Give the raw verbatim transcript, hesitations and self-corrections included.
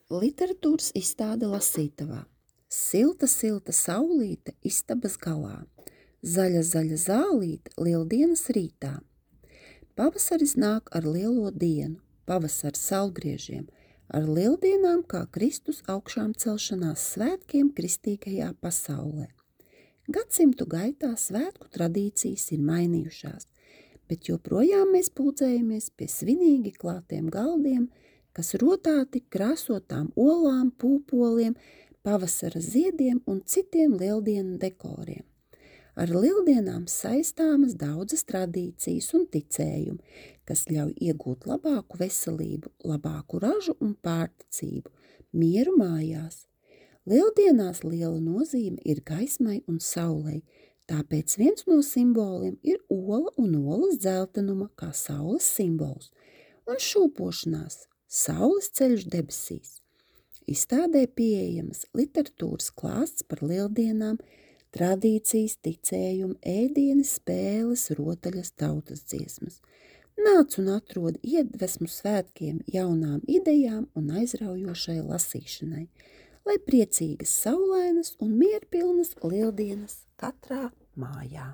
Literatūras izstāde lasītavā. Silta, silta saulīte istabas galā. Zaļa, zaļa zālīte lieldienas rītā. Pavasaris nāk ar lielo dienu, pavasars saulgriežiem, ar lieldienām kā Kristus augšām celšanās svētkiem kristīgajā pasaulē. Gadsimtu gaitā svētku tradīcijas ir mainījušās, bet joprojām mēs puldzējamies pie svinīgi klātiem galdiem, kas rotāti krāsotām olām, pūpoliem, pavasara ziediem un citiem lieldienu dekoriem. Ar lieldienām saistāmas daudzas tradīcijas un ticējumi, kas ļauj iegūt labāku veselību, labāku ražu un pārticību, mieru mājās. Lieldienās liela nozīme ir gaismai un saulei, tāpēc viens no simboliem ir ola un olas dzeltenuma kā saules simbols, un šūpošanās saules ceļš debesīs. Izstādē pieejamas literatūras klāsts par lieldienām, tradīcijas, ticējumu, ēdieni, spēles, rotaļas, tautas dziesmas. Nāc un atrod iedvesmu svētkiem, jaunām idejām un aizraujošai lasīšanai, lai priecīgas, saulainas un mierpilnas lieldienas katrā mājā.